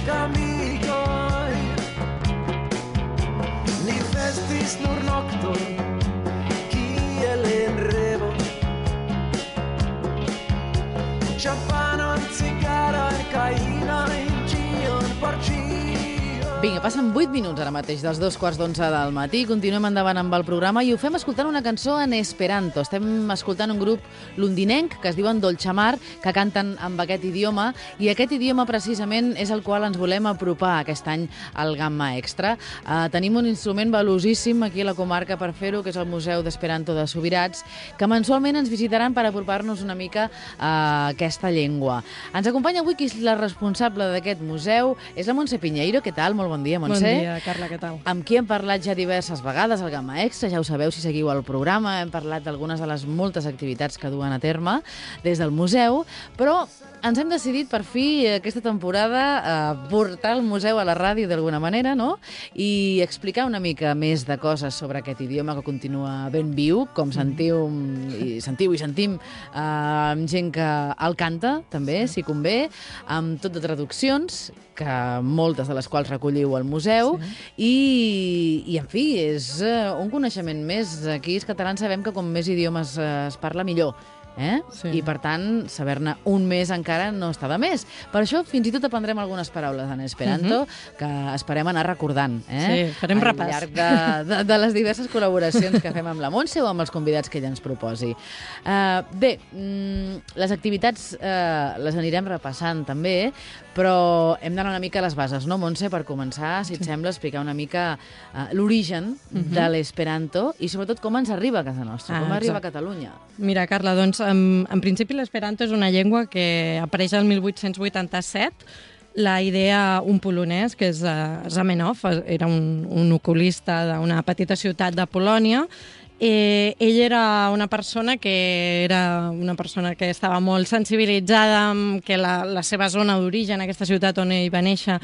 camigoi ni festis nur nocton kiel en revo Champanon, cigaroi, caïnoi, gion por gio Vinga, passen 8 minuts ara mateix dels 2:15 del matí. Continuem endavant amb el programa i ho fem escoltant una cançó en esperanto. Estem escoltant un grup londinenc que es diuen Dolce Mar, que canten amb aquest idioma, i aquest idioma precisament és el qual ens volem apropar aquest any al Gamma Extra. Tenim un instrument valuosíssim aquí a la comarca per fer-ho, que és el Museu d'Esperanto de Subirats, que mensualment ens visitaran per apropar-nos una mica a aquesta llengua. Ens acompanya avui qui és la responsable d'aquest museu, és la Montse Piñeiro. Què tal? Molt bon dia, Montse. Bon dia, Carla, què tal? Amb qui hem parlat ja diverses vegades al Gamma Extra, ja ho sabeu si seguiu el programa, hem parlat d'algunes de les moltes activitats que duen a terme des del museu, però ens hem decidit per fi aquesta temporada portar el museu a la ràdio d'alguna manera, no? I explicar una mica més de coses sobre aquest idioma que continua ben viu, com sentiu i sentim amb gent que el canta, també, si convé, amb tot de traduccions, que moltes de les quals recolliu al museu, i en fi, és un coneixement més. Aquí els catalans sabem que com més idiomes es parla, millor. I per tant, saber-ne un més encara no està de més. Per això fins i tot aprendrem algunes paraules en esperanto que esperem anar recordant farem repàs al llarg de les diverses col·laboracions que fem amb la Montse o amb els convidats que ella ens proposi. Bé, les activitats les anirem repassant també, però hem d'anar una mica a les bases, no, Montse? Per començar, si et sembla, explicar una mica l'origen de l'esperanto i sobretot com ens arriba a casa nostra, com arriba a Catalunya. Mira, Carla, doncs, en principi l'esperanto és una llengua que apareix el 1887. La idea, un polonès, que és Zamenhof, era un oculista d'una petita ciutat de Polònia. Ell era una persona que estava molt sensibilitzada amb que la seva zona d'origen, aquesta ciutat on ell va néixer,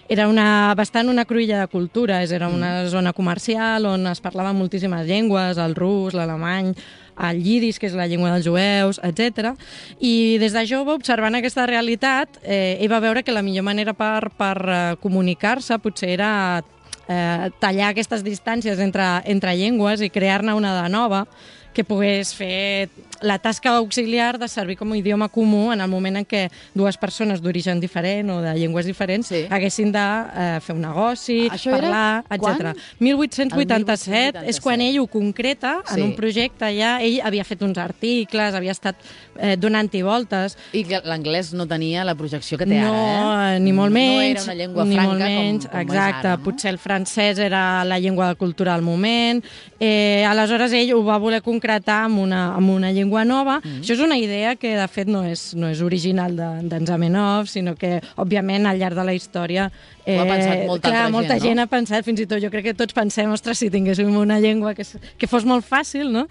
era bastant una cruïlla de cultures. Era una zona comercial on es parlaven moltíssimes llengües, el rus, l'alemany, el llidis, que és la llengua dels jueus, etc. I des de jove, observant aquesta realitat, ell va veure que la millor manera per comunicar-se potser era tallar aquestes distàncies entre llengües i crear-ne una de nova que pogués fer la tasca auxiliar de servir com a idioma comú en el moment en què dues persones d'origen diferent o de llengües diferents haguessin de fer un negoci, parlar, etc. 1887 és quan ell ho concreta en un projecte ja. Ell havia fet uns articles, havia estat donant-hi voltes. I l'anglès no tenia la projecció que té ara, No, ni molt menys. No era una llengua franca com és ara. Exacte, potser el francès era la llengua de cultura al moment. Aleshores ell ho va voler concretar amb una llengua nova. Això és una idea que, de fet, no és original d'en Zamenhof, sinó que, òbviament, al llarg de la història ho ha pensat molta gent ha pensat, fins i tot jo crec que tots pensem, ostres, si tinguéssim una llengua que fos molt fàcil, no?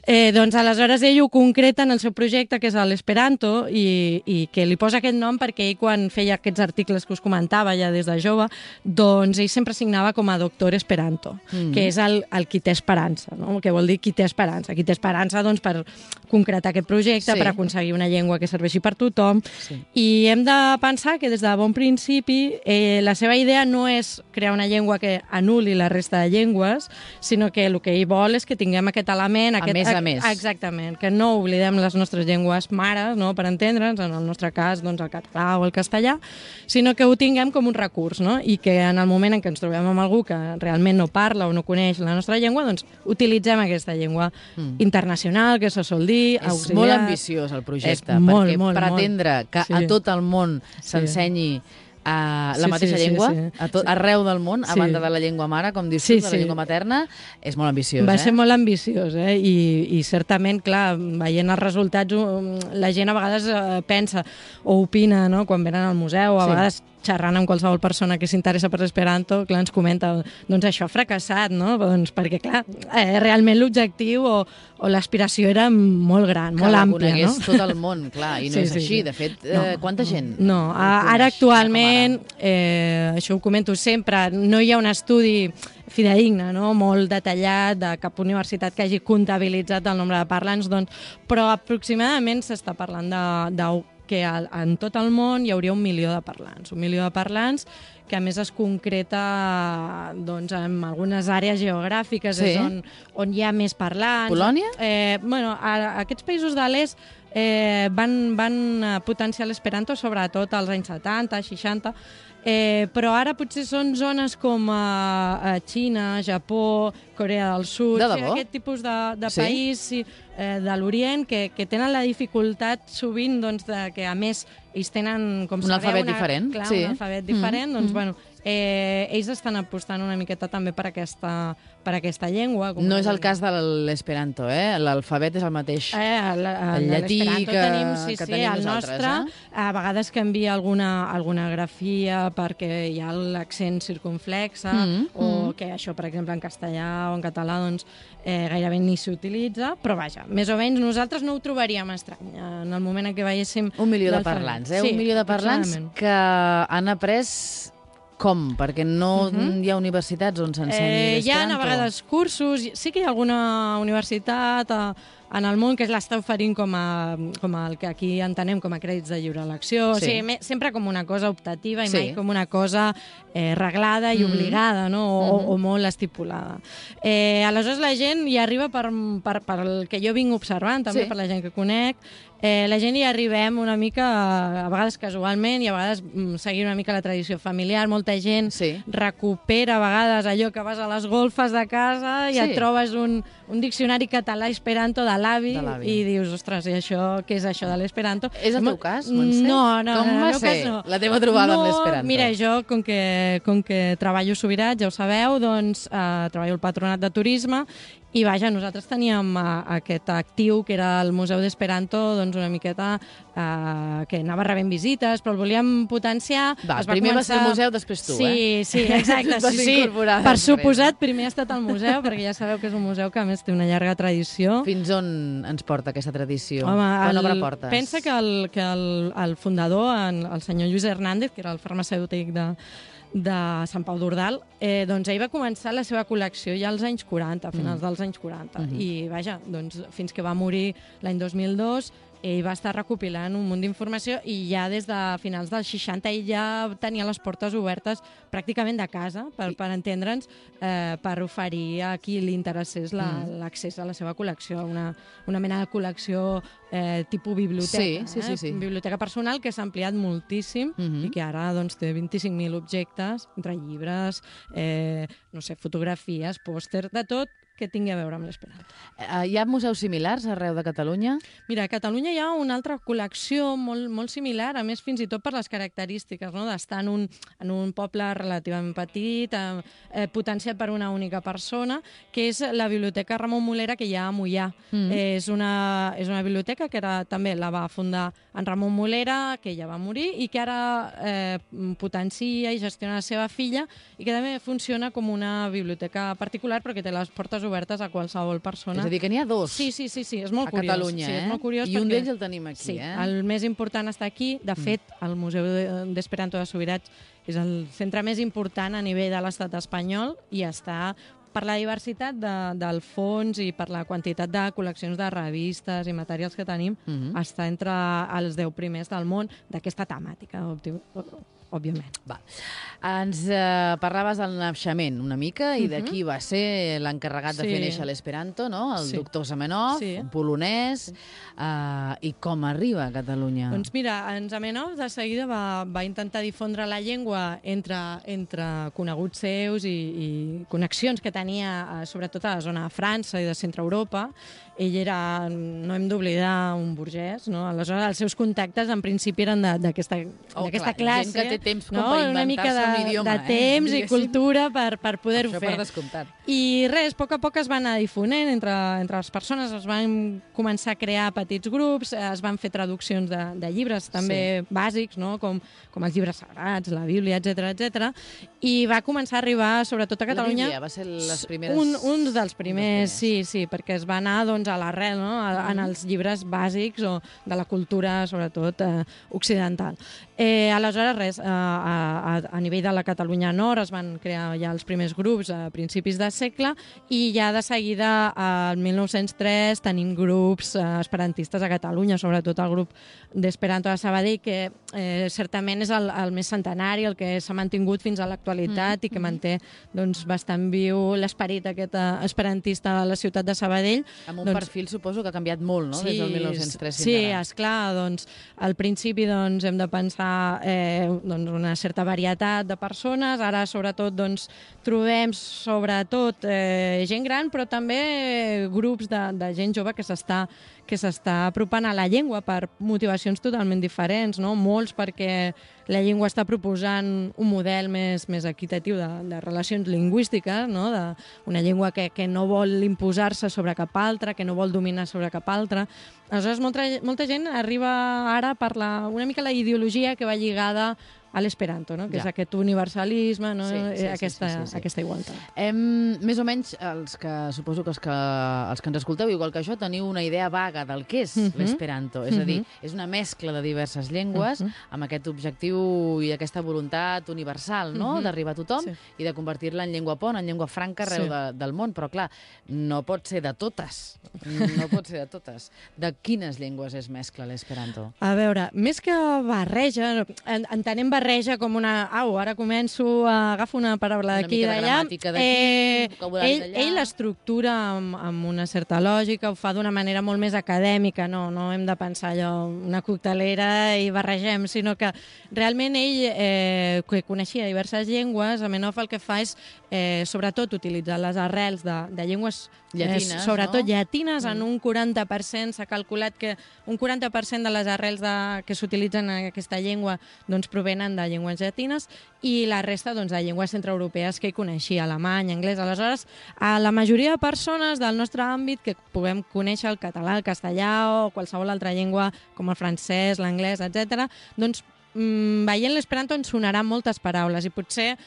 Doncs aleshores ell ho concreta en el seu projecte, que és l'esperanto, i que li posa aquest nom perquè ell, quan feia aquests articles que us comentava ja des de jove, doncs ell sempre signava com a doctor esperanto, que és el qui té esperança, no? Que vol dir qui té esperança. Qui té esperança, doncs, per concretar aquest projecte, per aconseguir una llengua que serveixi per tothom. I hem de pensar que des de bon principi la seva idea no és crear una llengua que anul·li la resta de llengües, sinó que el que ell vol és que tinguem aquest element... A més. Exactament, que no oblidem les nostres llengües mares, no?, per entendre'ns, en el nostre cas, doncs, el català o el castellà, sinó que ho tinguem com un recurs, no?, i que en el moment en què ens trobem amb algú que realment no parla o no coneix la nostra llengua, doncs utilitzem aquesta llengua internacional, que se sol dir, auxiliar. És molt ambiciós el projecte, perquè pretendre que a tot el món s'ensenyi la mateixa llengua, arreu del món, a banda de la llengua mare, com dius tu, de la llengua materna, és molt ambiciós. Va ser molt ambiciós, i certament, clar, veient els resultats, la gent a vegades pensa o opina, no?, quan venen al museu, a vegades xerrant amb qualsevol persona que s'interessa per l'esperanto, clar, ens comenta, doncs això ha fracassat, no? Doncs perquè, clar, realment l'objectiu o l'aspiració era molt gran, molt àmplia, no? Que la conegués tot el món, clar, i no és així. De fet, quanta gent? No, ara actualment, això ho comento sempre, no hi ha un estudi fideïgne, no?, molt detallat de cap universitat que hagi comptabilitzat el nombre de parlants, doncs, però aproximadament s'està parlant de que en tot el món hi hauria 1 milió de parlants. 1 milió de parlants que a més es concreta doncs, en algunes àrees geogràfiques, Sí. és on hi ha més parlants. Polònia? Aquests països de l'est van potenciar l'esperanto sobretot als anys 70, 60, però ara potser són zones com Xina, Japó, Corea del Sud, De debò? aquest tipus de Sí? país de l'Orient que tenen la dificultat sovint doncs, que a més ells tenen, com Un alfabet diferent, clar, sí. un alfabet diferent, doncs bueno, ells estan apostant una miqueta també per aquesta llengua. No és el cas de l'esperanto, l'alfabet és el mateix. El llatí l'esperanto que tenim, tenim el nosaltres, nostre, a vegades canvia alguna grafia perquè hi ha l'accent circunflexe, o que això, per exemple, en castellà o en català doncs, gairebé ni s'utilitza, però vaja, més o menys nosaltres no ho trobaríem estrany en el moment en què veiéssim 1 milió de l'alfabet. parlants, Sí, 1 milió de parlants aproximadament. que han après com? Perquè no hi ha universitats on s'ensenyi Hi ha l'esperanto. a vegades cursos, sí que hi ha alguna universitat en el món que l'està oferint com el que aquí entenem com a crèdits de lliure elecció, Sí. o sigui, sempre com una cosa optativa i Sí. mai com una cosa reglada i obligada, no? o molt estipulada. Aleshores la gent hi arriba per el que jo vinc observant, també Sí. per la gent que conec, la gent hi arribem una mica, a vegades casualment i a vegades seguint una mica la tradició familiar. Molta gent Sí. recupera a vegades allò que vas a les golfes de casa i Sí. et trobes un diccionari català-esperanto de l'avi De l'avi. i dius, ostres, i això, què és això de l'esperanto? És el teu cas, Montse? No, Com en va el meu ser cas no. la teva trobada amb l'esperanto? Mira, jo, com que treballo a Subirats, ja ho sabeu, doncs treballo al Patronat de Turisme i vaja, nosaltres teníem aquest actiu que era el Museu d'Esperanto, doncs una miqueta que anava rebent visites, però el volíem potenciar. Primer va ser el museu, després tu, Sí, exacte. Et vas incorporar Per després. suposat, primer ha estat el museu, perquè ja sabeu que és un museu que a més té una llarga tradició. Fins on ens porta aquesta tradició? Home, Quan obre portes? pensa que el fundador, el senyor Lluís Hernández, que era el farmacèutic de Sant Pau d'Ordal, doncs ell va començar la seva col·lecció ja als anys 40, a finals dels anys 40. I vaja, doncs fins que va morir l'any 2002, ell va estar recopilant un munt d'informació i ja des de finals dels 60 ell ja tenia les portes obertes pràcticament de casa, per entendre'ns, per oferir a qui li interessés l'accés a la seva col·lecció, una mena de col·lecció tipus biblioteca. Sí. Biblioteca personal que s'ha ampliat moltíssim i que ara doncs, té 25.000 objectes, entre llibres, no sé, fotografies, pòsters, de tot que tingui a veure amb l'esperanto. Hi ha museus similars arreu de Catalunya? Mira, a Catalunya hi ha una altra col·lecció molt similar, a més fins i tot per les característiques, no? D'estar en un poble relativament petit, potenciat per una única persona, que és la Biblioteca Ramon Molera que hi ha a Moià. És una biblioteca que també la va fundar en Ramon Molera, que ja va morir, i que ara potencia i gestiona la seva filla, i que també funciona com una biblioteca particular, però que té les portes obertes a qualsevol persona. És a dir, que n'hi ha dos Sí, és molt a curiós. Catalunya, Sí, és molt curiós I un perquè- d'ells el tenim aquí, Sí, el més important està aquí. De fet, el Museu d'Esperanto de Subirats és el centre més important a nivell de l'estat espanyol i està per la diversitat del fons i per la quantitat de col·leccions de revistes i materials que tenim, està entre els 10 primers del món d'aquesta temàtica, òbviament. Va. Ens parlaves del naixement una mica i d'aquí va ser l'encarregat de fer néixer l'esperanto, no? El doctor Zamenhof, un polonès, i com arriba a Catalunya? Doncs mira, en Zamenhof de seguida va intentar difondre la llengua entre coneguts seus i connexions que tenia sobretot a la zona de França i de centre Europa. Ell era, no hem d'oblidar, un burgès, no? Aleshores els seus contactes en principi eren d'aquesta classe. Gent que té temps com no? per Una mica inventar-se un idioma. de temps i cultura per poder-ho Això fer. per descomptat. I res, a poc es va anar difonent entre les persones, es van començar a crear petits grups, es van fer traduccions de llibres també bàsics, no? com els llibres sagrats, la Bíblia, etc. I va començar a arribar, sobretot a Catalunya... La Bíblia va ser les primeres... Un dels primers, sí, perquè es va anar doncs, a l'arrel, no? En els llibres bàsics o de la cultura, sobretot, occidental. Aleshores, res, a nivell de la Catalunya Nord es van crear ja els primers grups a principis de segle i ja de seguida, al 1903, tenim grups esperantistes a Catalunya, sobretot el grup d'Esperanto de Sabadell, que certament és el més centenari, el que s'ha mantingut fins a l'actualitat i que manté doncs, bastant viu l'esperit aquest esperantista a la ciutat de Sabadell. Amb un perfil, suposo, que ha canviat molt, no?, des del 1903 fins sí, ara. esclar, doncs, al principi doncs, hem de pensar doncs, una certa varietat de persones, ara sobretot doncs, trobem sobretot gent gran, però també grups de gent jove que s'està apropant a la llengua per motivacions totalment diferents, no? Molts perquè la llengua està proposant un model més equitatiu de relacions lingüístiques, no? Una llengua que no vol imposar-se sobre cap altra, que no vol dominar sobre cap altra. Aleshores, molta gent arriba ara per una mica la ideologia que va lligada a l'esperanto, no? Que és aquest universalisme, no? Aquesta igualtat. Més o menys, suposo que els que ens escolteu, igual que això, teniu una idea vaga del que és l'esperanto. És a dir, és una mescla de diverses llengües amb aquest objectiu i aquesta voluntat universal, no?, d'arribar a tothom i de convertir-la en llengua pont, en llengua franca arreu del món. Però, clar, no pot ser de totes. No pot ser de totes. De quines llengües és mescla l'esperanto? A veure, més que barreja, entenem barreja com una... ara començo, agafo una paraula d'aquí i d'allà. Una mica de gramàtica d'aquí, vocabulari d'allà. Ell l'estructura amb una certa lògica, ho fa d'una manera molt més acadèmica, no hem de pensar allò, una coctelera i barregem, sinó que realment ell, que coneixia diverses llengües, Zamenhof el que fa és, sobretot, utilitzar les arrels de llengües llatines, sobretot llatines, en un 40%. S'ha calculat que un 40% de les arrels que s'utilitzen en aquesta llengua doncs, provenen de llengües llatines i la resta doncs, de llengües centreeuropees que ell coneixia, alemany, anglès. Aleshores, a la majoria de persones del nostre àmbit que puguem conèixer el català, el castellà o qualsevol altra llengua com el francès, l'anglès, etc., doncs veient l'esperanto ens sonaran moltes paraules i potser,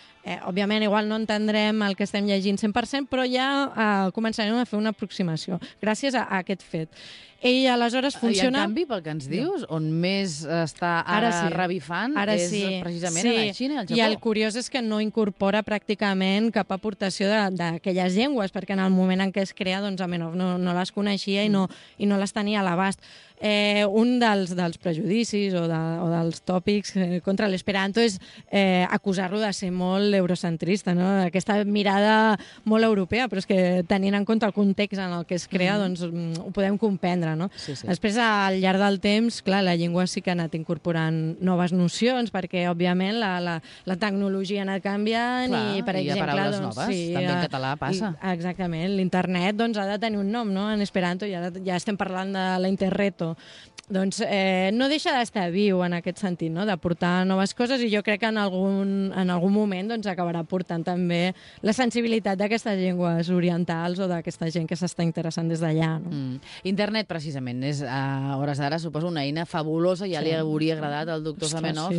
òbviament, igual no entendrem el que estem llegint 100%, però ja començarem a fer una aproximació gràcies a aquest fet. Ell aleshores funciona... I en canvi, pel que ens dius, on més està ara revifant és precisament a la Xina i al Japó. I el curiós és que no incorpora pràcticament cap aportació d'aquelles llengües, perquè en el moment en què es crea, doncs, Zamenhof no les coneixia i no les tenia a l'abast. Un dels prejudicis o dels tòpics contra l'esperanto és acusar-lo de ser molt eurocentrista, no? Aquesta mirada molt europea, però és que tenint en compte el context en el que es crea, doncs ho podem comprendre, no? Sí. Després, al llarg del temps, clar, la llengua sí que ha anat incorporant noves nocions, perquè, òbviament, la tecnologia ha anat canviant i, per exemple... hi ha paraules noves, també en català passa. Exactament, l'internet doncs, ha de tenir un nom, no?, en esperanto, i ara ja estem parlant de la interreto. Doncs no deixa d'estar viu en aquest sentit, no?, d'aportar noves coses, i jo crec que en algun moment doncs, acabarà portant també la sensibilitat d'aquestes llengües orientals o d'aquesta gent que s'està interessant des d'allà. No? Internet, precisament, és a hores d'ara, suposo, una eina fabulosa, ja li hauria agradat al doctor Zamenhof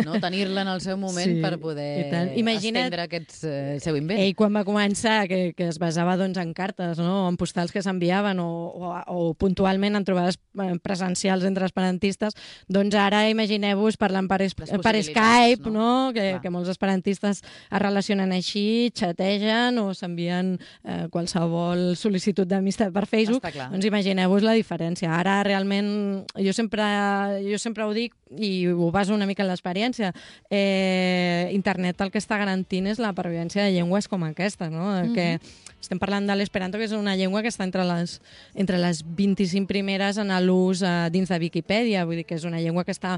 no? Tenir-la en el seu moment per poder estendre aquest seu invent. Ell, quan va començar, que es basava doncs, en cartes, no?, en postals que s'enviaven o puntualment en trobades presencials entre esperantistes, doncs ara imagineu-vos parlant per Skype, no? Que molts esperantistes es relacionen així, xategen o s'envien qualsevol sol·licitud d'amistat per Facebook. Doncs imagineu-vos la diferència. Ara realment, jo sempre ho dic i ho baso una mica en l'experiència, internet el que està garantint és la pervivència de llengües com aquesta, no? Que estem parlant de l'esperanto, que és una llengua que està entre les 25 primeres en l'ús dins de Viquipèdia, vull dir que és una llengua que està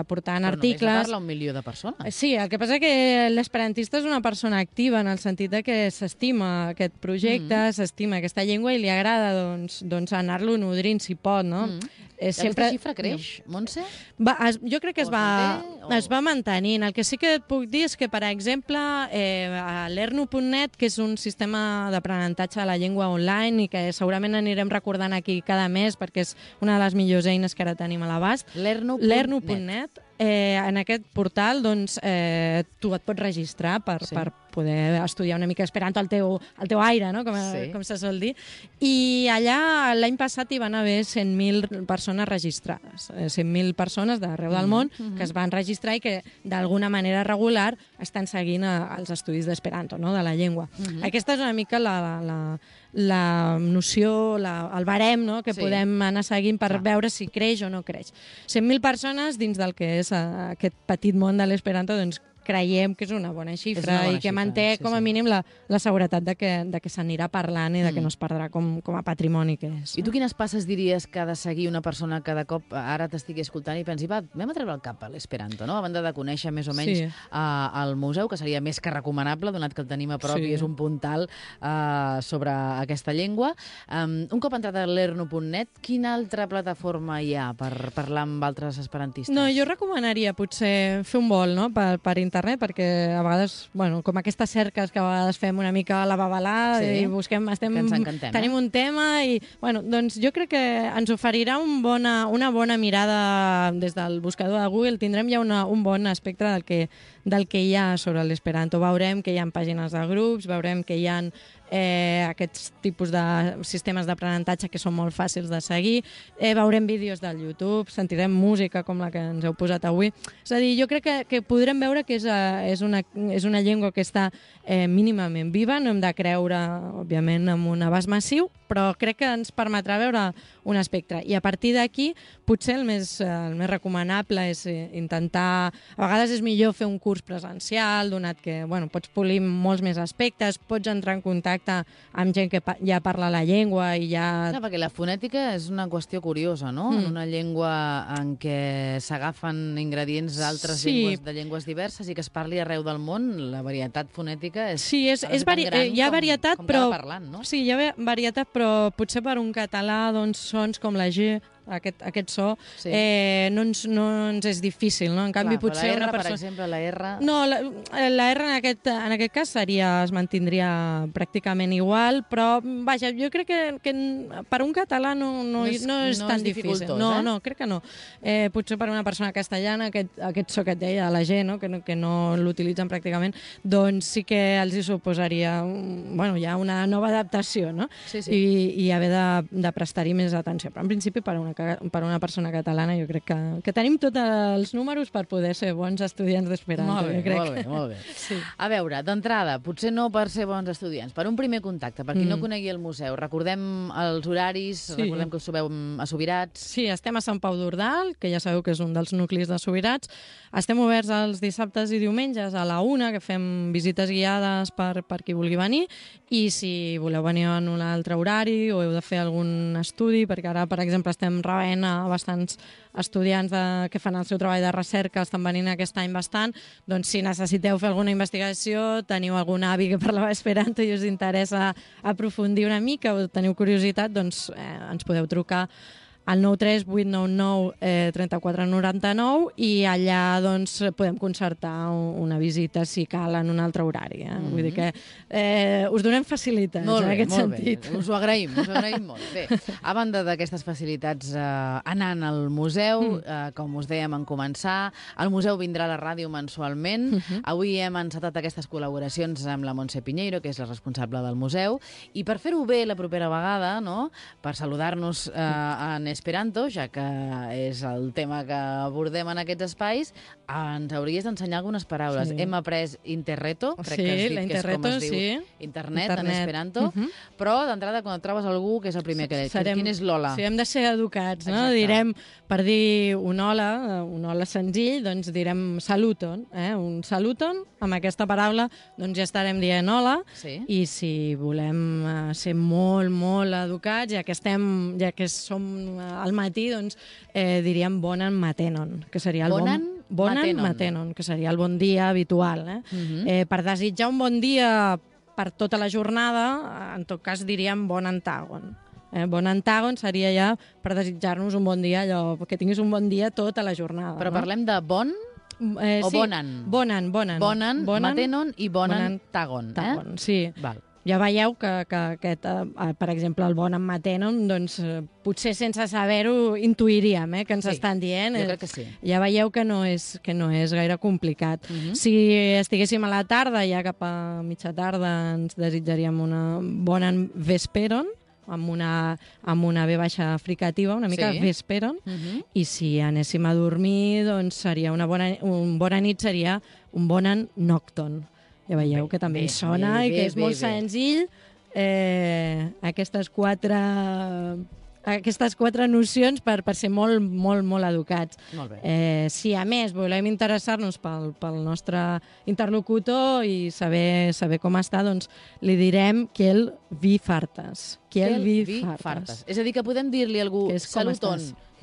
portant articles. Però només parla 1 milió de persones. Sí, el que passa que l'esperantista és una persona activa en el sentit de que s'estima aquest projecte, s'estima aquesta llengua i li agrada doncs anar-lo nodrint si pot, no? Aquesta xifra creix, Montse? Jo crec que es va mantenint. El que sí que et puc dir és que, per exemple, a l'Ernu.net, que és un sistema d'aprenentatge de la llengua online i que segurament anirem recordant aquí cada mes perquè és una de les millors eines que ara tenim a l'abast, l'Ernu.net, en aquest portal doncs, tu et pots registrar per poder estudiar una mica esperanto al teu aire, no? Com se sol dir. I allà l'any passat hi van haver 100.000 persones registrades, 100.000 persones d'arreu del món que es van registrar registrar i que d'alguna manera regular estan seguint els estudis d'Esperanto, no?, de la llengua. Aquesta és una mica la noció, el barem, no?, que podem anar seguint per veure si creix o no creix. 100.000 persones dins del que és aquest petit món de l'Esperanto, doncs creiem que és una bona xifra i que manté com a mínim la seguretat de que s'anirà parlant i de que no es perdrà com a patrimoni que és. I tu quines passes diries que ha de seguir una persona que de cop ara t'estigui escoltant i pensi, va, anem a treure el cap a l'Esperanto, no? A banda de conèixer més o menys el museu, que seria més que recomanable, donat que el tenim a prop i és un puntal sobre aquesta llengua. Un cop entrat a lerno.net, quina altra plataforma hi ha per parlar amb altres esperantistes? No, jo recomanaria potser fer un vol, no?, per internet, perquè a vegades, bueno, com aquestes cerques que a vegades fem una mica a la babalà i busquem, tenim un tema i, bueno, doncs jo crec que ens oferirà una bona mirada des del buscador de Google, tindrem ja un bon espectre del que hi ha sobre l'Esperanto. Veurem que hi ha pàgines de grups, veurem que hi ha aquests tipus de sistemes d'aprenentatge que són molt fàcils de seguir, veurem vídeos del YouTube, sentirem música com la que ens heu posat avui. És a dir, jo crec que podrem veure que és una llengua que està mínimament viva, no hem de creure, òbviament, en un abast massiu, però crec que ens permetrà veure un espectre. I a partir d'aquí, potser el més recomanable és intentar... A vegades és millor fer un curs presencial, donat que pots polir molts més aspectes, pots entrar en contacte amb gent que ja parla la llengua i ja... Clar, perquè la fonètica és una qüestió curiosa, no? En una llengua en què s'agafen ingredients d'altres llengües, de llengües diverses i que es parli arreu del món, la varietat fonètica és tan gran hi ha varietat, com cada parlant, no? Sí, hi ha varietat, però potser per un català, doncs, sons com la G, aquest so, no ens és difícil, no? En canvi, potser la R, una persona... per exemple, la R... No, la R en aquest cas es mantindria pràcticament igual, però, vaja, jo crec que per un català no és tan difícil. No, crec que no. Potser per una persona castellana, aquest so que et deia, la G, no? Que no l'utilitzen pràcticament, doncs sí que els hi suposaria ja una nova adaptació, no? I haver de prestar-hi més atenció. Però en principi per una persona catalana jo crec que tenim tots els números per poder ser bons estudiants d'Esperanto. Molt bé. Sí. A veure, d'entrada, potser no per ser bons estudiants, per un primer contacte, per qui no conegui el museu, recordem els horaris, recordem que us trobeu a Subirats. Sí, estem a Sant Pau d'Ordal, que ja sabeu que és un dels nuclis de Subirats. Estem oberts els dissabtes i diumenges a la 1, que fem visites guiades per qui vulgui venir, i si voleu venir en un altre horari o heu de fer algun estudi, perquè ara, per exemple, estem rebent a bastants estudiants que fan el seu treball de recerca, estan venint aquest any bastant, doncs si necessiteu fer alguna investigació, teniu algun avi que parlava esperanto i us interessa aprofundir una mica o teniu curiositat, doncs ens podeu trucar al 93 899 3499 i allà doncs podem concertar una visita si cal en un altre horari. Vull dir que us donem facilitats en aquest sentit. Us ho agraïm molt. Bé, a banda d'aquestes facilitats anant al museu, com us dèiem en començar, el museu vindrà a la ràdio mensualment. Avui hem encetat aquestes col·laboracions amb la Montse Piñeiro, que és la responsable del museu, i per fer-ho bé la propera vegada, no?, per saludar-nos en Esperanto, ja que és el tema que abordem en aquests espais, ens hauries d'ensenyar algunes paraules. Hem après interreto, crec que has dit que és com es diu internet en Esperanto, però d'entrada quan et trobes algú, que és el primer que quin és l'hola? Sí, hem de ser educats, no? Direm, per dir un hola senzill, doncs direm saluton, un saluton, amb aquesta paraula doncs ja estarem dient hola, i si volem ser molt, molt educats, ja que som al matí, doncs diríem bonan matenon, que seria el bonan matenon, que seria el bon dia habitual. Per desitjar un bon dia per tota la jornada, en tot cas diríem bon antagon. Bon antagon seria ja per desitjar-nos un bon dia, allò que tinguis un bon dia tota la jornada. Però parlem de bon o bonan? Bonan, matenon i bonan tagon. Sí. Val. Ja veieu que aquest, per exemple, el bon en matenon, doncs potser sense saber-ho intuiríem que ens estan dient. Jo crec que sí. Ja veieu que no és gaire complicat. Si estiguéssim a la tarda, ja cap a mitja tarda, ens desitjaríem una bona vesperon, amb una V baixa fricativa, una mica vesperon, i si anéssim a dormir, doncs seria una bona nit, seria un bon nocton. Ja veieu que també sona i que és molt senzill. Aquestes quatre nocions per ser molt, molt, molt educats. Molt bé. Si a més volem interessar-nos pel nostre interlocutor i saber com està, doncs li direm que el vi fartes. Que el vi fartes. És a dir, que podem dir-li a algú saluton,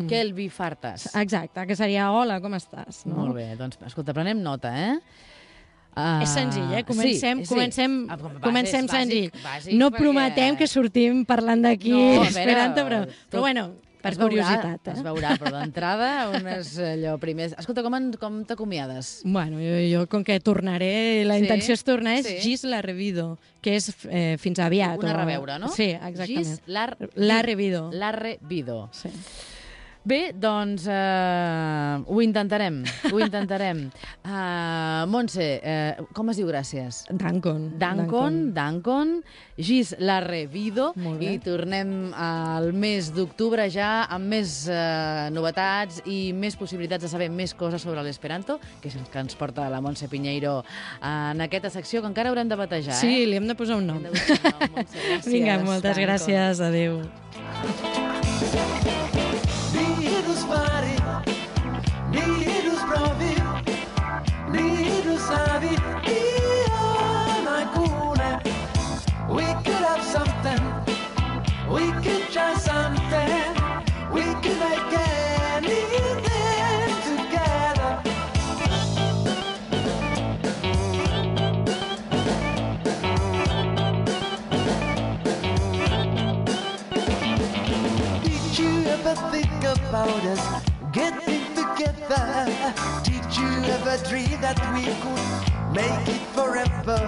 que el vi fartes. Exacte, que seria hola, com estàs? No? Molt bé, doncs escolta, prenem nota, És senzill, Comencem senzill. Bàsic, no prometem que sortim parlant d'aquí Esperanto, però bueno, per curiositat. Es veurà, però d'entrada, unes allò primers... Escolta, com t'acomiades? Bueno, jo com que tornaré, la intenció és tornar, és gis la revido, que és fins aviat. Una reveure, no? Sí, exactament. Gis la revido. La revido. Sí. Bé, doncs ho intentarem. Montse, com es diu gràcies? Dankon, gis la revido, i tornem al mes d'octubre ja amb més novetats i més possibilitats de saber més coses sobre l'esperanto, que és el que ens porta la Montse Piñeiro en aquesta secció, que encara haurem de batejar. Sí, li hem de posar un nom. Vinga, moltes gràcies, adéu. Virus pari, virus provi, virus savi, we could have something, we could try something, we could make anything together. Did you ever think about us getting together? Did you ever dream that we could make it forever?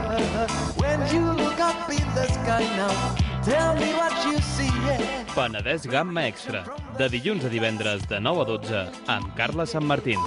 When you look up in the sky now, tell me what you see. Penedès Gamma Extra, de dilluns a divendres de 9 a 12 amb Carla Sanmartín.